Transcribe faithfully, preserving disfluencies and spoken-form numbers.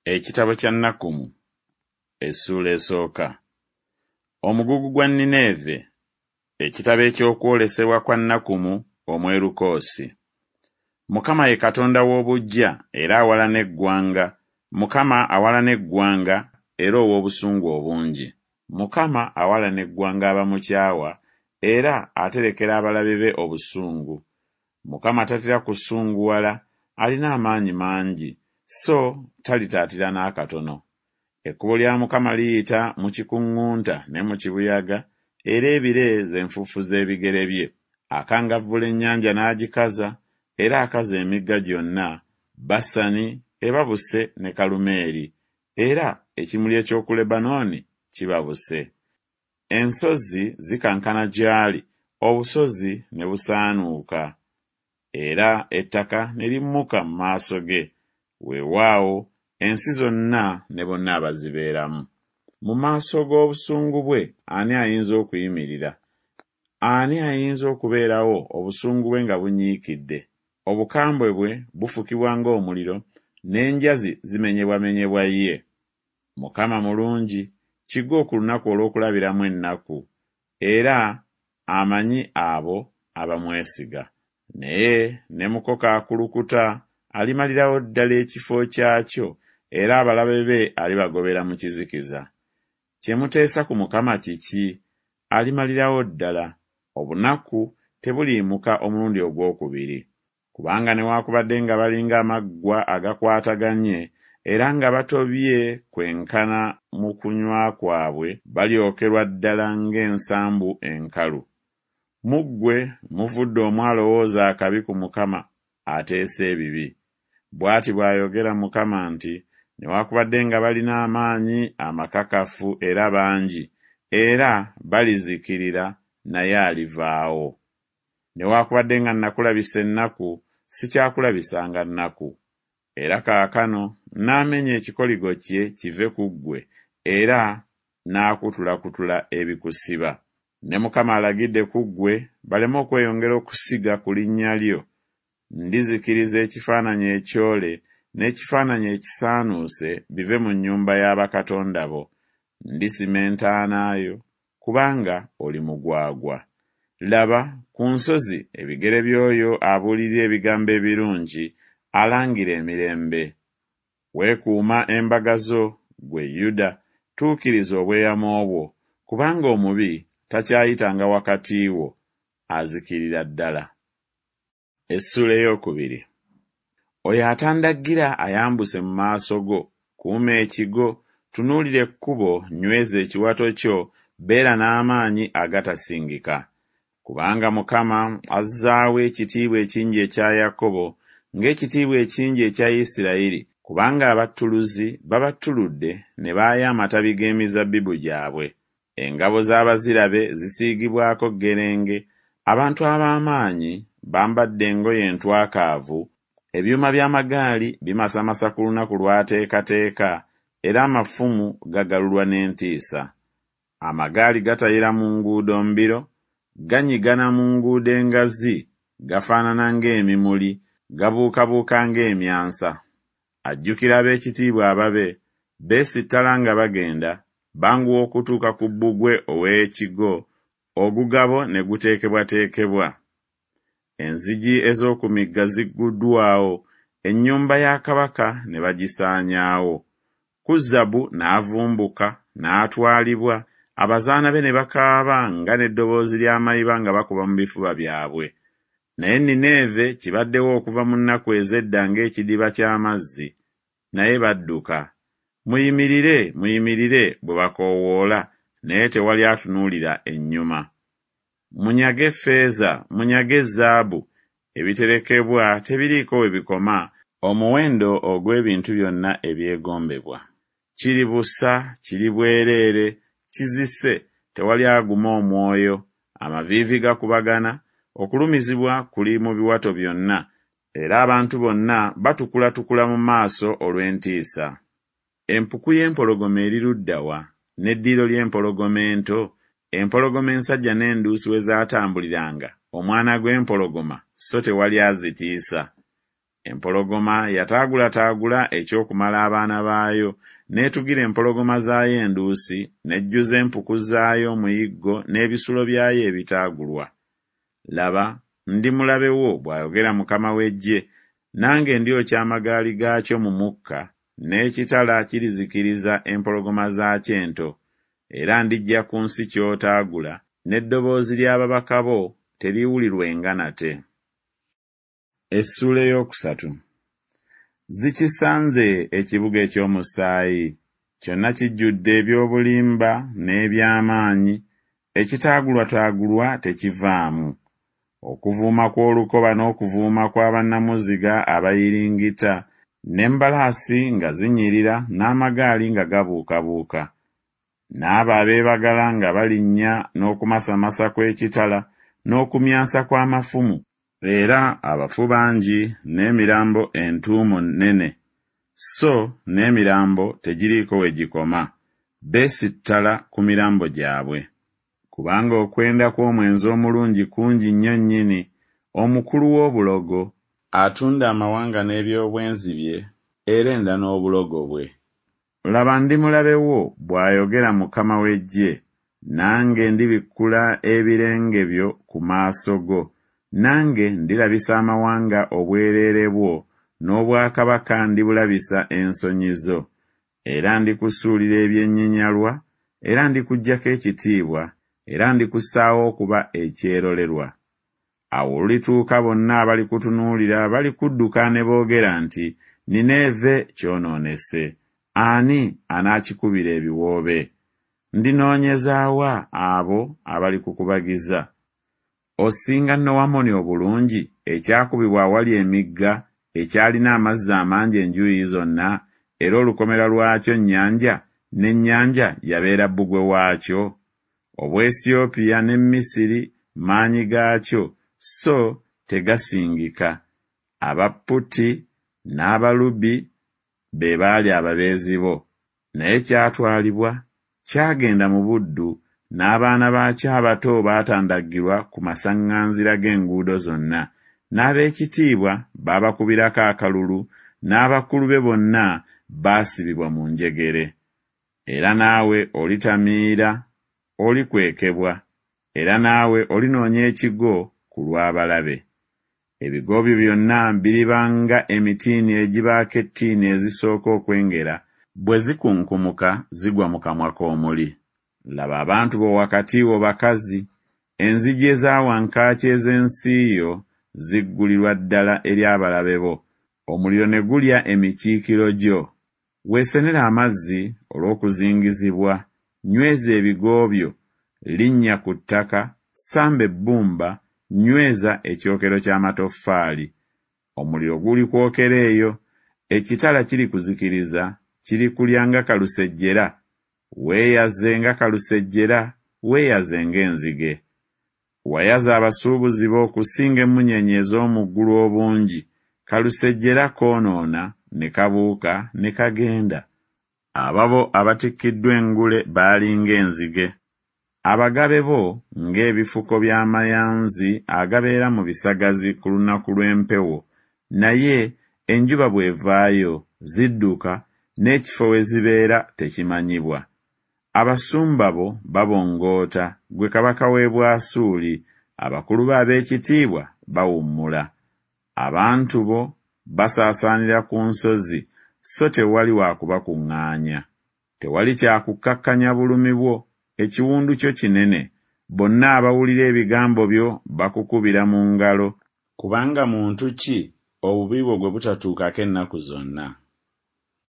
Ekitabo kya Nakkumu essuula esooka. Omugugu gwa Nineeve. Ekitabo eky'okwolesebwa kwa Nakkumu Omwerukoosi. Mukama ye Katonda w'obuggya era awalana eggwanga, Mukama awalana eggwanga era ow'obusungu obungi. Mukama awalana eggwanga abamukyawa era aterekera abalabe be obusungu. Mukama tatera kusunguwala, alina amaanyi mangi, so talitaatira n'akatono. Ekkubo lya Mukama liyita mu kikuŋŋunta ne mu kibuyaga, era ebire ze nfuufu z'ebigere bye. Akangavvula ennyanja n'agikaza, era akaza emigga gyonna, Basani ebabuse ne Kalumeeri, era ekimuli eky'oku Lebanooni kibabuse. Ensozi zikankana gy'ali, obusozi ne busaanuuka, era ettaka ne limmuka mu maaso ge, weewaawo ensi zonna ne bonna abazibeeramu. Mu maaso g'obusungu bwe ani ayinza okuyimirira? Ani ayinza okubeerawo obusungu bwe nga bunyiikidde? Obukambwe bwe bufukibwa ng'omuliro, n'enjazi zimenyebwamenyebwa ye. Mukama mulungi, kigo ku lunaku olw'okulabiramu ennaku, era amanyi abo abamwesiga. Naye ne mukoka akulukuta alimalirawo ddala ekifo kyakyo, era abalabe be alibagobera mu kizikiza. Kye muteesa ku Mukama kiki? Alimalirawo ddala. Obunaku tebuliyimuka omulundi ogwokubiri. Kubanga newaakubadde nga balinga amaggwa agakwataganye, era nga batobye kwenkana mu kunywa kwabwe, balyokerwa ddala ng'ensambu enkalu. Mu ggwe muvudde omu alowooza akabi ku Mukama ateesa ebibi. Bw'ati bw'ayogera Mukama nti, Newaakubadde nga balina amaanyi amakakafu era bangi, era balizikirira, naye alivaawo. Newaakubadde nga nakulabisa ennaku, sikyakulabisanga nnaku. Era kaakano nnaamenya ekikoligo kye kive ku ggwe, era naakutulakutula ebikusiba. Ne Mukama alagidde ku ggwe baleme okweyongera okusiga ku linnya lyo. Ndizikiriza ekifaananyi ekyole n'ekifaananyi ekisaanuuse bive mu nnyumba ya bakatonda bo. Ndisima entaana yo, kubanga oli mugwagwa. Laba, ku nsozi ebigere by'oyo abuulirira ebigambo ebirungi, alangira emirembe. Weekuuma embaga zo, ggwe Yuda, tuukiriza obweyamo bwo, kubanga omubi takyayitanga wakati wo, azikirira ddala. Essuula ey'okubiri. Oyo atandaggira ayambuse mu maaso go, kuuma ekigo, tunuulira ekkubo, nyweza ekiwato kyo, beera n'amaanyi agatasingika. Kubanga Mukama azzaawo ekitiibwa ekingi ekya Yakobo, ng'ekitiibwa ekingi ekya Isirayiri, kubanga abattuluzi babattuludde ne baaya amatabi g'emizabbibu gyabwe. Engabo z'abazira be zisiigibwako ggerenge, abantu ab'amaanyi bambadde engoye entwakaavu, ebyuma by'amagaali bimasamasa ku lunaku lw'ateekateeka, era amafumu gagalulwa n'entiisa. Amagaali gatayira mu nguudo mbiro, ganyigana mu nguudo engazi, gafaanana ng'emimuli, gabuukabuuka ng'emyansa. Ajjukira ab'ekitiibwa ababe, beesittala nga bagenda, banguwa okutuuka ku bbugwe ow'ekigo, ogugabo ne guteekebwateekebwa. Enzigi ez'oku migga zigguddwawo, ennyumba ya kabaka ne bagisaanyaawo. Kuzabu n'avumbuka, n'atwalibwa, abazaana be ne bakaaba nga n'eddoboozi ly'amayiba nga bakuba mu bifuba byabwe. Naye Nineeve kibaddewo okuva mu nnaku ez'edda ng'ekidiba ky'amazzi, naye badduka. Muyimirire, muyimirire, bwe bakoowoola, naye tewali atunuulira ennyuma. Munyage ffeeza, munyage zaabu, ebiterekebwa tebiriiko we bikoma, omuwendo ogw'ebintu byonna ebyegombebwa. Kiri busa, kiri bwereere, kizise, tewali aguma omwoyo, amaviivi gakubagana, okulumizibwa kuli mu biwato byonna, era abantu bonna batukulatukula mu maaso olw'entiisa. Empuku y'empologoma eri ludda wa, n'eddiiro ly'empologoma ento, empologoma ensajja n'enduusi we zaatambuliranga, omwana gw'empologoma, so tewali azitiisa? Empologoma yataagulataagula eky'okumala abaana baayo, n'etugira empologoma zaayo enduusi, n'ejjuza empuku zaayo omuyiggo n'ebisulo byayo ebitaagulwa. Laba, ndi mulabe wo, bw'ayogera Mukama w'eggye, nange ndyokya amagaali gaakyo mu mukka, n'ekitala kirizikiriza empologoma zaakyo ento. Era ndiggya ku nsi ky'otaagula, n'eddoboozi ly'ababaka bo teriiwulirwenga nate. Essuula ey'okusatu. Zikisanze ekibuga eky'omusaayi, kyonna kijjudde eby'obulimba n'eby'amaanyi, ekitaagulwataagulwa tekivaamu. Okuvuuma kw'olukoba n'okuvuuma kwa bannamuziga abayiringita, n'embalaasi nga zinyirira n'amagaali nga gabuukabuuka, n'abo abeebagala nga balinnya n'okumasamasa kw'ekitala n'okumyansa kw'amafumu, era abafu bangi n'emirambo entuumo nnene, so n'emirambo tegiriiko we gikoma, beesittala ku mirambo gyabwe. Kubanga okwenda kw'omwenzi omulungi kungi nnyo nnyini, omukulu w'obulogo, atunda amawanga n'eby'obwenzi bye, era enda n'obulogo bwe. Laba, ndi mulabe wo, bw'ayogera Mukama w'eggye, nange ndibikkula ebirenge byo ku maaso go, nange ndirabisa amawanga obwereere bwo, n'obwakabaka ndibulabisa ensonyi zo. Era ndikusuulira ebyenyinyalwa, era ndikuggyako ekitiibwa, era ndikussaawo okuba ekyerolerwa. Awo olulituuka bonna abalikutunuulira balikudduka ne boogera nti Nineeve kyonoonese, ani anaakikubira ebiwoobe? Ndinoonyeza wa abo abalikukubagiza? Osinga Nowamoni obulungi, ekyakubibwa awali emigga, ekyalina amazzi amangi enjuuyi zonna, era olukomera lwakyo nnyanja, n'ennyanja yabeera bbugwe waakyo? Obuwesiyopya ne Misiri maanyi gaakyo, so tegasingika. Aba Puti n'Abalubi be baali ababeezi bo. Naye kyatwalibwa, kyagenda mu buddu, n'abaana baakyo abato baatandaggirwa ku masaŋŋanzira g'enguudo zonna, n'ab'ekitiibwa baabakubirako akalulu, n'abakulu be bonna baasibibwa mu njegere. Era naawe olitamiira, olikwekebwa, era naawe olinoonya ekigo ku lw'abalabe. Ebigo byo byonna biriba nga emitiini egibaako ettiini ezisooka okwengera, bwe zikunkumuka zigwa mu kamwa k'omuli. Laba, abantu bo wakati wo bakazi, enzigi eza wankaaki ez'ensi yo ziggulirwa ddala eri abalabe bo, omuliro ne gulya emikiikiro gyo. Weesenere amazzi olw'okuzingizibwa, nyweza ebigo byo, linnya ku ttaka, samba ebbumba, nyweza ekyokero ky'amatoffaali. Omuliro gulikwokera eyo, ekitala kirikuzikiriza, kirikulya nga kalusejjera. Weeyaze nga kalusejjera, weeyaze ng'enzige. Wayaza abasuubuzi bo okusinga emmunyeenye ez'omu ggulu obungi, kalusejjera koonoona ne kabuuka ne kagenda. Ababo abatikkiddwa engule baali ng'enzige, abagabe bo ng'ebifuko by'amayanzi agabeera mu bisagazi ku lunaku lw'empewo, naye enjuba bw'evaayo, zidduka, n'ekifo we zibeera tekimanyibwa. Abasumba bo babongoota, ggwe kabaka w'e Bwasuli, abakulu bo ab'ekitiibwa bawummula. Abantu bo basaasaanira ku nsozi, so tewali wa kubakuŋŋaanya. Tewali kya kukkakkanya bulumi bwo, ekiwundu kyo kinene, bonna abawulira ebigambo byo bakukubira mu ngalo. Kubanga muntu ki obubi bwo gwe butatuukako ennaku zonna?